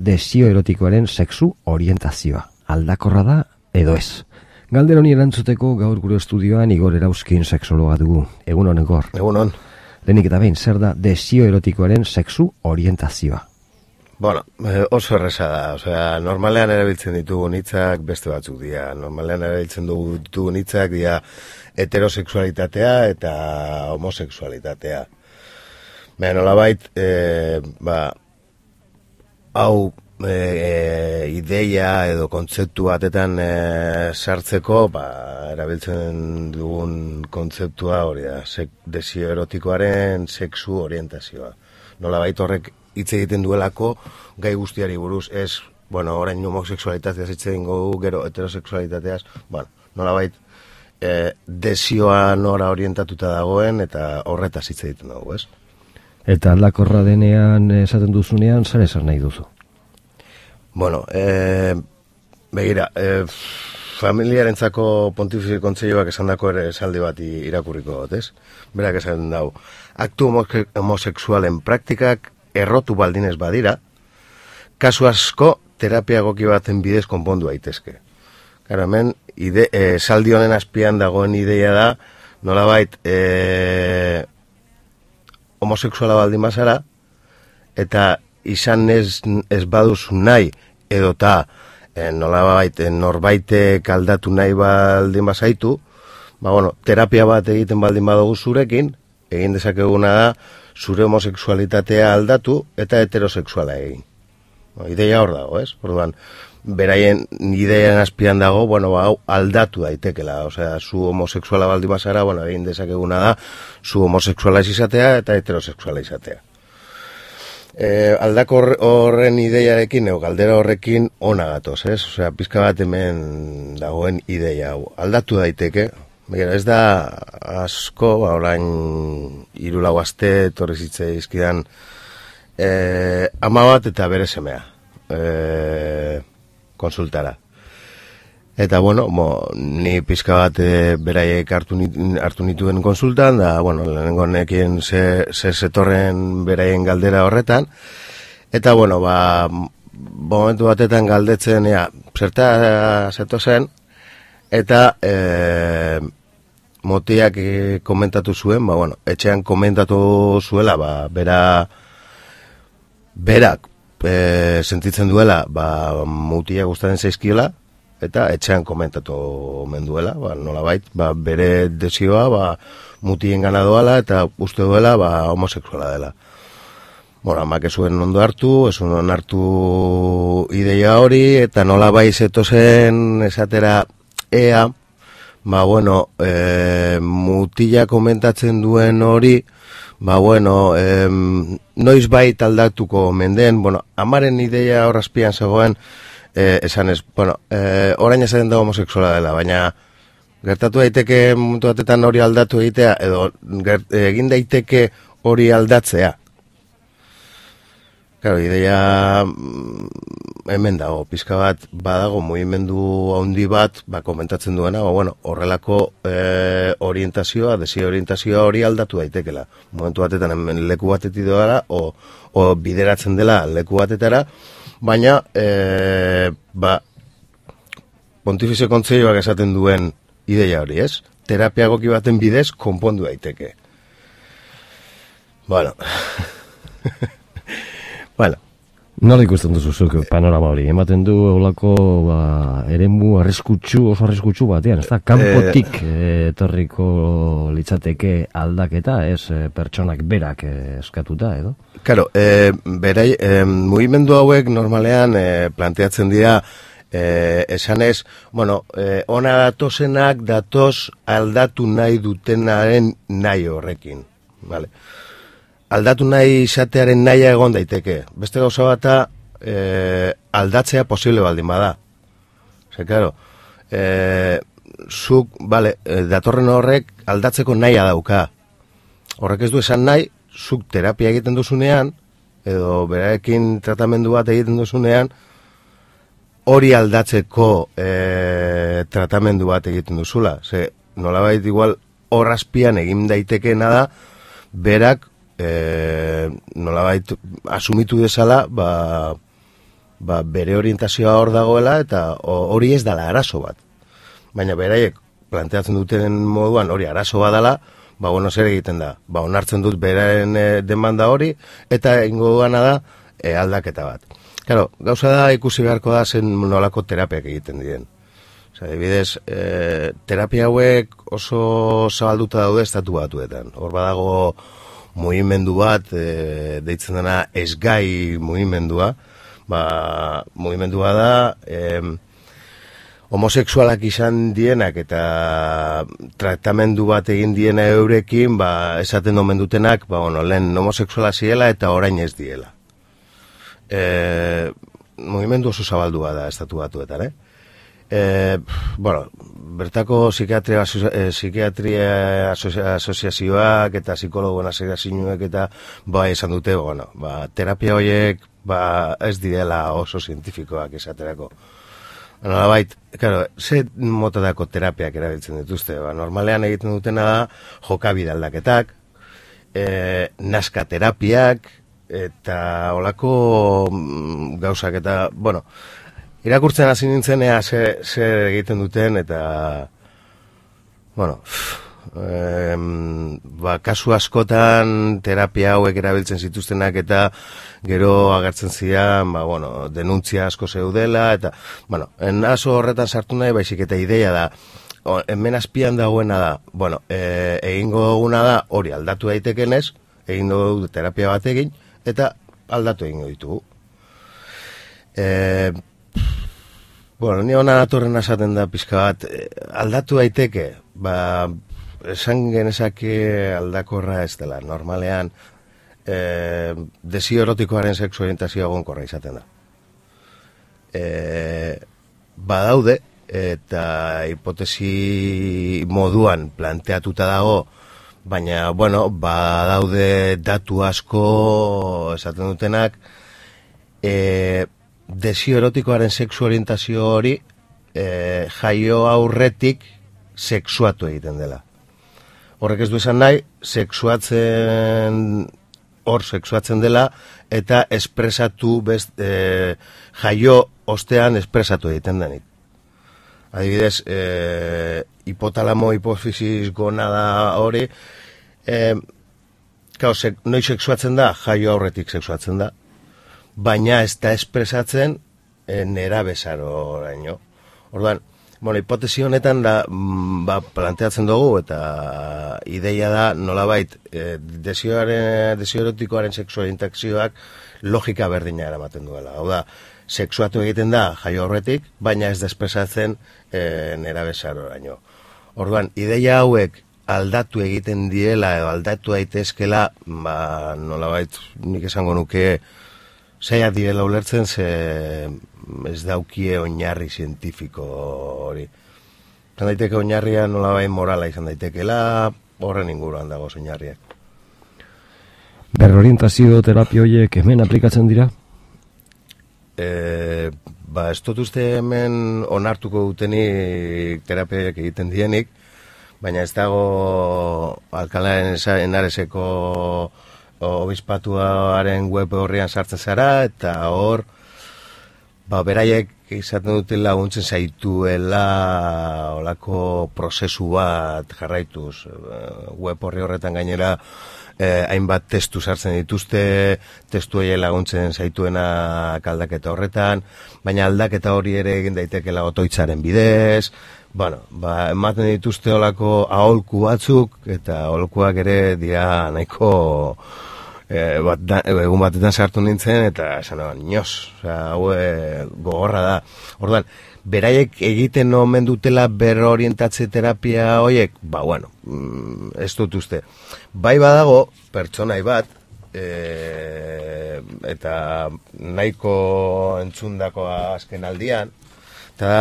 desio erotikoaren sexu orientazioa. Aldakorra da edo ez? Galdera honi erantzuteko gaur gure estudioan Igor Erauzkin sexologa dugu. Egun hon, Igor. Egun hon. Lehenik eta behin, zer da desio erotikoaren sexu orientazioa? Bueno, oso erresa da. Osea, normalean erabiltzen ditugun hitzak beste batzuk dira. Normalean erabiltzen ditugun hitzak dira heterosexualitatea eta homosexualitatea. Baina nolabait, hau ideia edo kontzeptu batetan sartzeko, erabiltzen dugun kontzeptua hori da, desio erotikoaren sexu orientazioa. Nolabait horrek hitz egiten duelako gai guztiari buruz, ez, orain homosexualitateaz hitz egingo dugu, gero heterosexualitateaz, nolabait desioa nora orientatuta dagoen eta horretaz hitz egiten dugu, ez? Eta aldakorra denean esaten duzunean, zer esan nahi duzu? Begira, familiarentzako Pontifizi Kontseiluak esandako ere esaldi bat irakurriko dut, ez? Berak esan dau, aktu homosexualen praktikak errotu baldinez badira, kasu asko terapia egoki baten bidez konpondu daitezke. Gara, hemen, esaldi honen azpian dagoen ideia da, nolabait, homosexuala baldin bazara, eta izan ez baduzu nahi, edota nolabait norbaitek aldatu nahi baldin bazaitu, terapia bat egiten baldin badugu zurekin, egin dezakeguna da, zure homosexualitatea aldatu eta heterosexuala egin. Ideia hor dago, ez? Orduan, beraien idearen azpian dago, hau aldatu daitekela, osea, zu homosexuala baldin bazara, egin dezakeguna da, zu homosexuala izatea eta heterosexuala izatea. Aldako horren ideiarekin, galdera horrekin ona gatoz, ez? Osea, pizka bat hemen dagoen ideia hau. Aldatu daiteke, ez da asko, orain 3-4 aste etorri zitzaizkidan ama bat eta bere semea konsultara. Eta, ni pizka bat beraiek hartu nituen konsultan, da, lehenengo nekien zetorren beraien galdera horretan, eta, momentu batetan galdetzen, zerta zeto zen, eta motiak komentatu zuen, etxean komentatu zuela, berak sentitzen duela, mutia gustatzen zaizkiola, eta etxean komentatu omen duela, nolabait, bere desioa, mutien gana doala, eta uste duela, homosexuala dela. Amak ez zuen ondo hartu, ez zuen hartu ideia hori, eta nolabait zetozen esatera ea, mutila komentatzen duen hori, noiz bait aldatuko menden, amaren ideia horrazpian zegoen, esan ez, orain esaten da homosexuala dela, baina gertatu daiteke momentu batetan hori aldatu egitea, edo egin daiteke hori aldatzea. Claro, ideia hemen dago, pizka bat badago mugimendu handi bat, komentatzen duena, horrelako orientazioa, desio orientazioa hori aldatu daitekela. Momentu batetan hemen leku batetik doara, o bideratzen dela leku batetara, baina, Pontifizi Kontseiluak esaten duen ideia hori, ez? Terapia egoki baten bidez konpondu daiteke. Nola ikusten duzu zuk panorama hori? Ematen du olako eremu oso arriskutsu batean, ez da? Kanpotik etorriko litzateke aldaketa, ez pertsonak berak eskatuta, edo? Claro, mugimendu hauek normalean planteatzen dira esanez, ona datozenak datoz aldatu nahi dutenaren nahi horrekin, vale? Aldatu nahi izatearen nahia egon daiteke. Beste gauza bata aldatzea posible baldin bada. Claro, zuk, datorren horrek aldatzeko nahia dauka. Horrek ez du esan nahi, zuk terapia egiten duzunean, edo berarekin tratamendu bat egiten duzunean, hori aldatzeko tratamendu bat egiten duzula. Nolabait igual horrazpian egin daitekeena da, berak nolabait asumitu dezala, bere orientazioa hor dagoela, eta hori ez dala arazo bat. Baina beraiek planteatzen duten moduan hori arazo bat dela, bueno, zer egiten da? Onartzen dut beraren demanda hori, eta ingo gana da aldaketa bat. Claro, gauza da ikusi beharko da zen nolako terapiak egiten diren. Adibidez, terapia hauek oso zabalduta daude estatu batuetan. Hor badago mugimendu bat, deitzen dena esgai mugimendua. Mugimendua da, homosexualak izan dienak eta tratamendu bat egin diena eurekin, esaten domen dutenak, lehen homosexuala ziela eta orain ez diela. Mugimendu oso zabaldua da estatu batuetan, bertako psikiatria asoziazioak eta psikologoen asoziazioak eta esan dute, terapia horiek ez direla oso zientifikoak esaterako. Nolabait, ze motadako terapiak erabiltzen dituzte? Normalean egiten dutena da jokabide aldaketak, nazka terapiak, eta olako gauzak eta, irakurtzen hasi nintzen zer egiten duten eta, kasu askotan terapia hauek erabiltzen zituztenak eta gero agertzen ziren, denuntzia asko zeudela eta, enaso horretan sartu nahi, baizik eta ideia da, hemen azpian dagoena da, egingo duguna da hori aldatu daitekenez, egingo dugu terapia bat egin, eta aldatu egingo ditugu. Ni hona natorren esaten da pizka bat, aldatu daiteke, esan genezake aldakorra ez dela, normalean desio erotikoaren sexu orientazioa egonkorra izaten da. Badaude, eta hipotesi moduan planteatuta dago, baina, badaude datu asko esaten dutenak, desio erotikoaren sexu orientazio hori jaio aurretik sexuatu egiten dela. Horrek ez du esan nahi, sexuatzen dela eta espresatu jaio ostean espresatu egiten denik. Adibidez, hipotalamo hipofisis gonada hori, noiz sexuatzen da, jaio aurretik sexuatzen da, baina ez da espresatzen nerabezaroraino. Orduan, hipotesi honetan planteatzen dugu eta ideia da nolabait desio erotikoaren sexu orientazioak logika berdina eramaten duela. Hau da, sexuatu egiten da jaio aurretik, baina ez da espresatzen nerabezaroraino. Orduan, ideia hauek aldatu egiten diela edo aldatu daitezkela, nolabait nik esango nuke zaiak direla ulertzen, ez daukie oinarri zientifiko hori. Izan daiteke oinarria nolabait morala izan daitekela, horren inguruan dago oinarriak. Berrorientazio terapia horiek hemen aplikatzen dira? Ez dut uste hemen onartuko dutenik terapiak egiten dienik, baina ez dago Alcalá de Henareseko obispatuaren web horrian sartzen zara, eta hor beraiek izaten duten laguntzen zaituela olako prozesu bat jarraituz. Web horri horretan gainera hainbat testu sartzen dituzte, testu hori laguntzen zaituena aldaketa horretan, baina aldaketa hori ere egin daitekela otoitzaren bidez, ematen dituzte olako aholku batzuk, eta aholkuak ere dira nahiko egun batetan sartu nintzen, eta esan nioz, hau gogorra da. Orduan, beraiek egiten omen dutela berrorientatze terapia horiek, ez dut uste. Bai badago, pertsonai bat, eta nahiko entzundako azken aldian, eta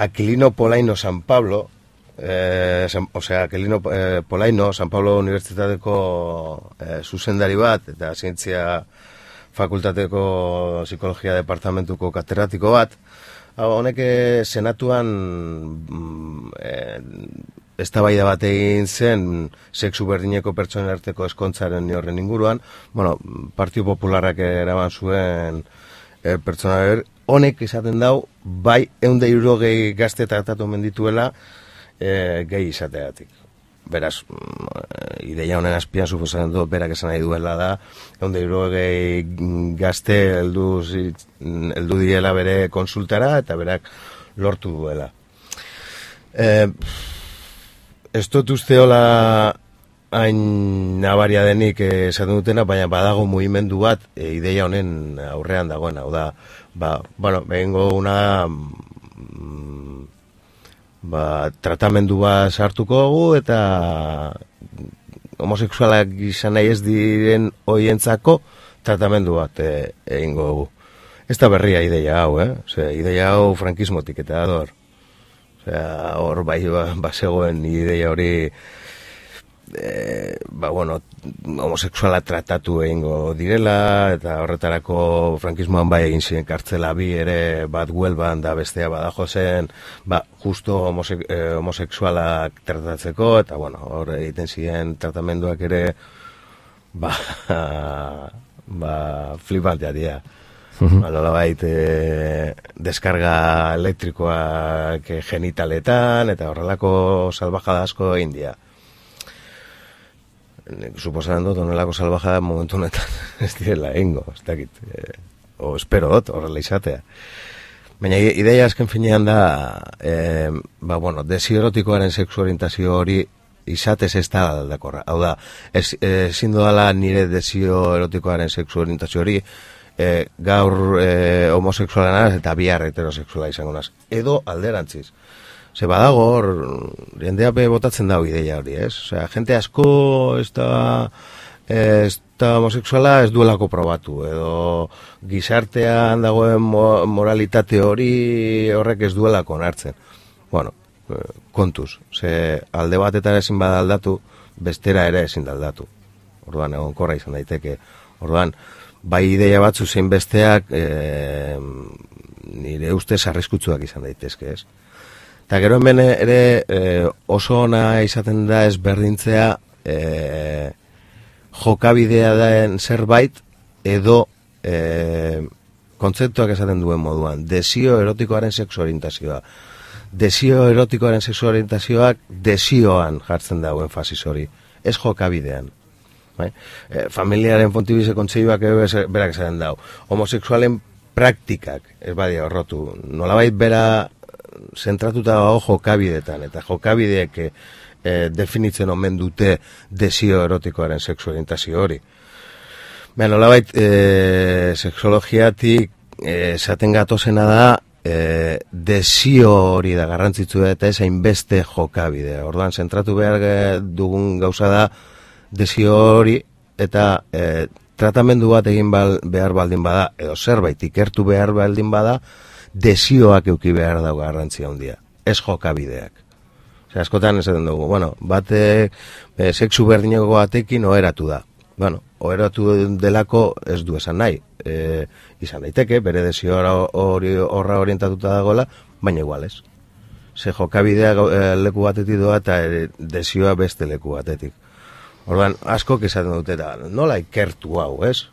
Aquilino Polaino San Pablo, Aquilino Polaino San Pablo Unibertsitateko zuzendari bat, eta zientzia fakultateko psikologia departamentuko katedratiko bat, honek senatuan eztabaida bat egin zen sexu berdineko pertsonen arteko ezkontzaren horren inguruan. Partido Popularrak eraman zuen pertsona honek izaten dau, bai 160 gazte tratatu mendituela gehi izateatik. Beraz, ideia honen azpian suposatzen dut, berak esan nahi duela da, 160 gazte heldu direla bere konsultara, eta berak lortu duela. Ez dut uste hola hain nabaria denik esaten dutena, baina badago mugimendu bat ideia honen aurrean dagoen, hau da, behingo una tratamendu bat sartuko dugu eta homosexualak izan nahi ez diren hoientzako tratamendu bat egingo dugu. Ez da berria ideia hau, ideia hau frankismotik eta ador. Hor bazegoen ideia hori homosexuala tratatu egingo direla, eta horretarako frankismoan bai egin ziren kartzela bi ere, bat Huelban da bestea Badajozen, justo homosexualak tratatzeko, eta hor egiten ziren tratamenduak ere flipantea dira. Nolabait deskarga elektrikoak genitaletan, eta horrelako salbajada asko egin dira. Suposatzen dut, honelako salbajada momentu honetan ez direla egingo, ez dakit, o espero dut, horrela izatea. Baina ideia azken finean da, desio erotikoaren sexu orientazio hori izatez ez da aldakorra. Hau da, ezin dudala nire desio erotikoaren sexu orientazio hori gaur homosexuala naz eta bihar heterosexuala izango naz. Edo alderantziz. Ze badago hor, jendea botatzen dago ideia hori, ez? Osea, jente asko ez da homosexuala ez duelako probatu, edo gizartean dagoen moralitate hori horrek ez duelako onartzen. Kontuz, ze alde batetan ezin bada aldatu, bestera ere ezin da aldatu. Orduan, egonkorra izan daiteke. Orduan, bai ideia batzu zein besteak nire ustez arriskutsuak izan daitezke, ez? Eta gero hemen ere oso ona izaten da ezberdintzea jokabidea den zerbait edo kontzeptuak esaten duen moduan. Desio erotikoaren sexu orientazioa. Desio erotikoaren sexu orientazioak desioan jartzen dauen fasis hori, ez jokabidean. Familiaren Fontibise Kontseiluak berak esaten dau. Homosexualen praktikak, ez badia horrotu, nolabait bera zentratuta dago jokabidetan, eta jokabideek definitzen omen dute desio erotikoaren sexu orientazio hori. Nolabait sexologiatik esaten gatozena da desio hori da garrantzitsua eta ez hainbeste jokabidea. Orduan, zentratu behar dugun gauza da desio hori eta tratamendu bat egin behar baldin bada, edo zerbait ikertu behar baldin bada, desioak euki behar dago garrantzia handia, ez jokabideak. Askotan esaten dugu, batek sexu berdineko batekin oheratu da. Oheratu delako ez du esan nahi. Izan daiteke, bere desio horra orientatuta dagoela, baina igual ez. Ze jokabidea leku batetik doa eta desioa beste leku batetik. Orduan, askok esaten dute da, nola ikertu hau, ez?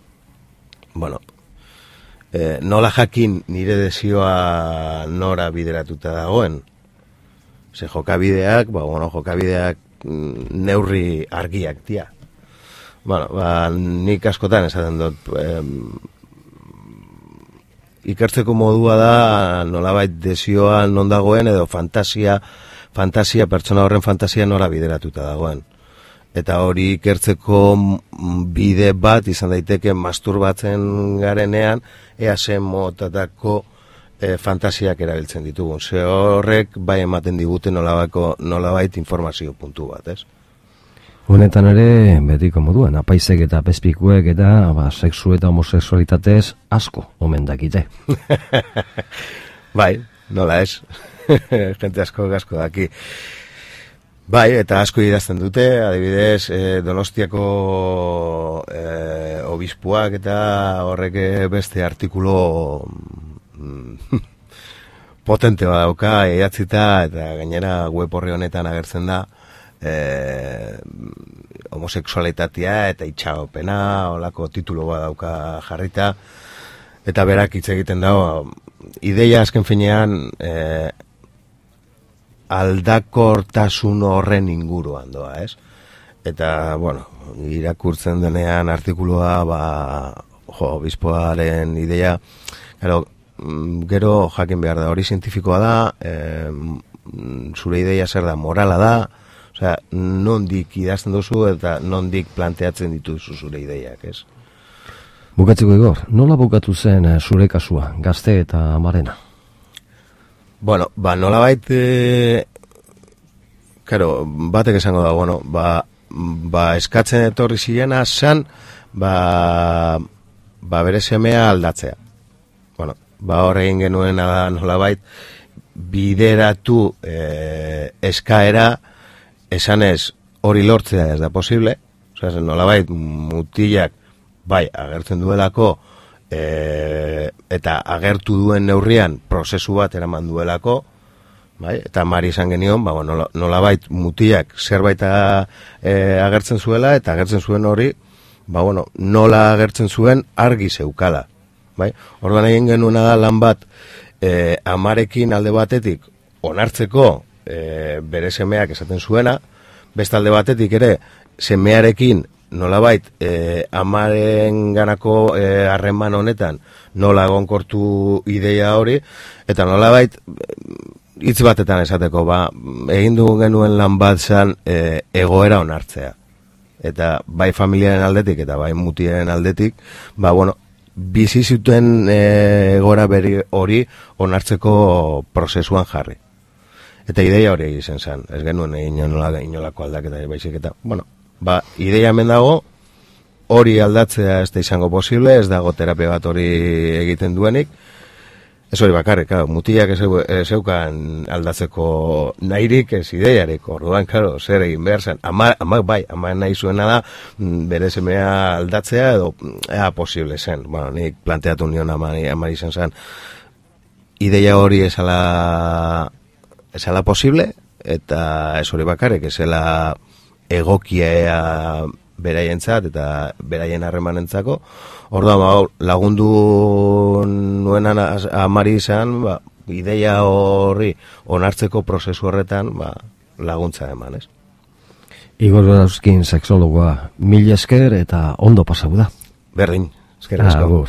Nola jakin nire desioa nora bideratuta dagoen. Ze jokabideak, jokabideak neurri argiak dira. Nik askotan esaten dut, ikertzeko modua da nolabait desioa non dagoen edo fantasia pertsona horren fantasia nora bideratuta dagoen. Eta hori ikertzeko bide bat izan daiteke masturbatzen garenean ea zen motatako fantasiak erabiltzen ditugun. Ze horrek bai ematen digute nolabait informazio puntu bat, ez? Honetan ere, betiko moduan, apaizek eta pezpikuek eta sexu eta homosexualitatez asko omen dakite. Bai, nola ez? Jente asko daki. Bai, eta asko idazten dute, adibidez, Donostiako obispuak eta horrek beste artikulo potente bat dauka, idatzita, eta gainera web horri honetan agertzen da, homosexualitatea eta itxaropena, holako titulo bat dauka jarrita, eta berak hitz egiten dago, ideia azken finean aldakortasun horren inguruan doa, ez? Eta, bueno, irakurtzen denean artikulua, obispoaren ideia, gero jakin behar da, hori zientifikoa da, zure ideia zer da, morala da, osea, nondik idazten duzu eta nondik planteatzen dituzu zure ideiak, ez? Bukatzeko Igor, nola bukatu zen zure kasua, Gazte eta Amarena? Bueno, nolabait, batek esango da, bueno, eskatzen etorri zilena zan, bere semea aldatzea. Bueno, hor egin genuena da nolabait, bideratu eskaera, esanez hori lortzea ez da posible, osea, nolabait mutilak bai agertzen duelako eta agertu duen neurrian prozesu bat eraman duelako, bai, eta Mari esan genion, nolabait mutilak zerbait agertzen zuela eta agertzen zuen hori, nola agertzen zuen argi zeukala, bai. Orduan egin genuena da lan bat Amarekin alde batetik onartzeko bere semeak esaten zuena, beste alde batetik ere semearekin nolabait Amaren ganako harreman honetan nola egonkortu ideia hori, eta nolabait hitz batetan esateko, egin dugu genuen lan bat zan egoera onartzea. Eta bai familiaren aldetik eta bai mutiaren aldetik, bizi zuten egoera beri hori onartzeko prozesuan jarri. Eta ideia hori egiten zen, ez genuen inolako aldaketa baizik eta, ideia hemen dago, hori aldatzea ez da izango posible, ez dago terapia bat hori egiten duenik, ez hori bakarrik, mutilak zeukan aldatzeko nahirik ez ideiarik, orduan, zer egin behar zen, ama nahi zuena da, bere semea aldatzea edo posible zen, nik planteatu nion amari zen, ideia hori esala posible, eta ez hori bakarrik, esela egokia beraientzat eta beraien harremanentzako. Orduan, lagundu nuenan Amari izan, ideia horri onartzeko prozesu horretan laguntza eman, ez? Igor Gorauskin, sexologoa, mila esker eta ondo pasau da. Berdin, eskerrik asko. Agur.